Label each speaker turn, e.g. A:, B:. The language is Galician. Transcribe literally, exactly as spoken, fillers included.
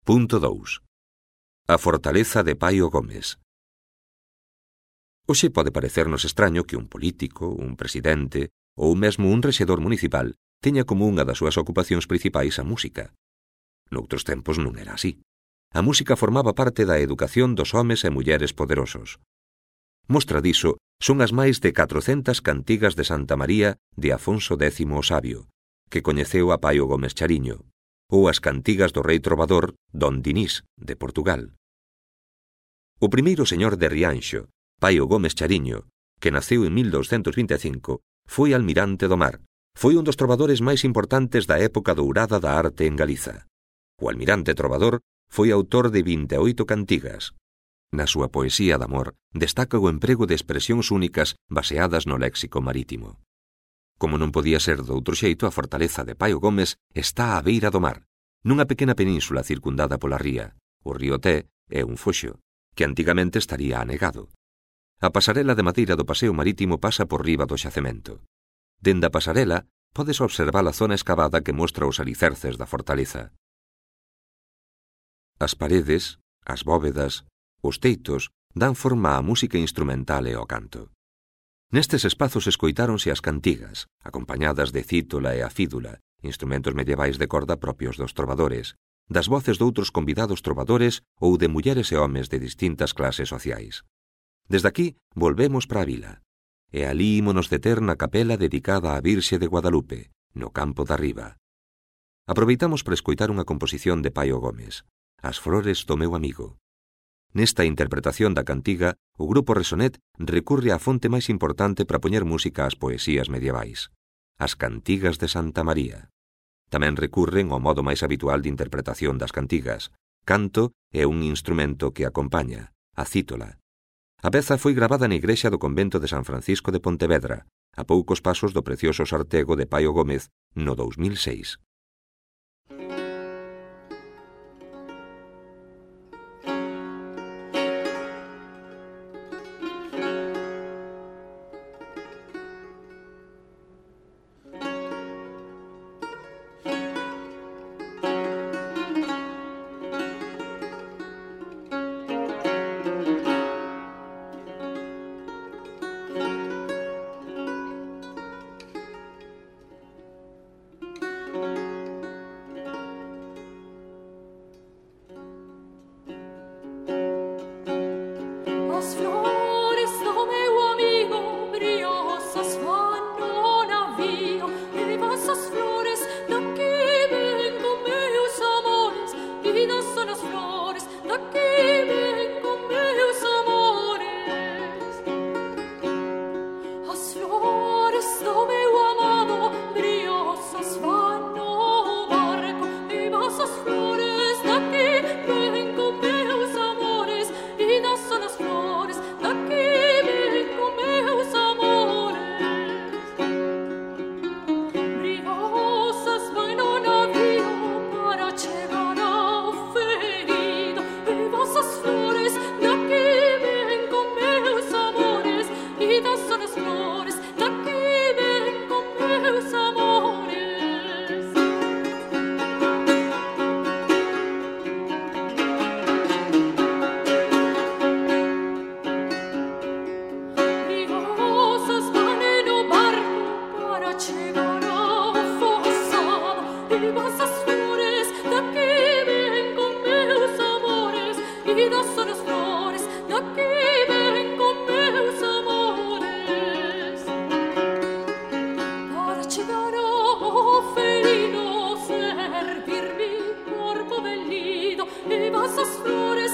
A: Punto dous. A fortaleza de Paio Gómez. Hoxe pode parecernos extraño que un político, un presidente ou mesmo un rexedor municipal teña como unha das súas ocupacións principais a música. Noutros tempos non era así. A música formaba parte da educación dos homes e mulleres poderosos. Mostra diso son as máis de catrocentas cantigas de Santa María de Afonso décimo o Sabio, que coñeceu a Paio Gómez Chariño, ou as cantigas do rei trovador Don Dinís, de Portugal. O primeiro señor de Rianxo, Paio Gómez Chariño, que naceu en mil douscentos vinte e cinco, foi almirante do mar. Foi un dos trovadores máis importantes da época dourada da arte en Galiza. O almirante trovador foi autor de vinte e oito cantigas. Na súa poesía de amor destaca o emprego de expresións únicas baseadas no léxico marítimo. Como non podía ser doutro xeito, a fortaleza de Paio Gómez está á beira do mar, nunha pequena península circundada pola ría, o río Té e un foxo, que antigamente estaría anegado. A pasarela de madeira do paseo marítimo pasa por riba do xacemento. Dende a pasarela podes observar a zona escavada que mostra os alicerces da fortaleza. As paredes, as bóvedas, os teitos dan forma á música instrumental e ao canto. Nestes espazos escoitáronse as cantigas, acompañadas de cítola e a fídula, instrumentos medievais de corda propios dos trovadores, das voces doutros convidados trovadores ou de mulleres e homes de distintas clases sociais. Desde aquí volvemos para a vila, e alí ímonos deter na capela dedicada á Virxe de Guadalupe, no campo da Riba. Aproveitamos para escoitar unha composición de Paio Gómez, As flores do meu amigo. Nesta interpretación da cantiga, o grupo Resonet recurre á fonte máis importante para poñer música ás poesías medievais, as cantigas de Santa María. Tamén recurren ao modo máis habitual de interpretación das cantigas, canto e un instrumento que acompaña, a cítola. A peza foi gravada na igrexa do convento de San Francisco de Pontevedra, a poucos pasos do precioso sartego de Paio Gómez no dous mil seis.
B: Esas flores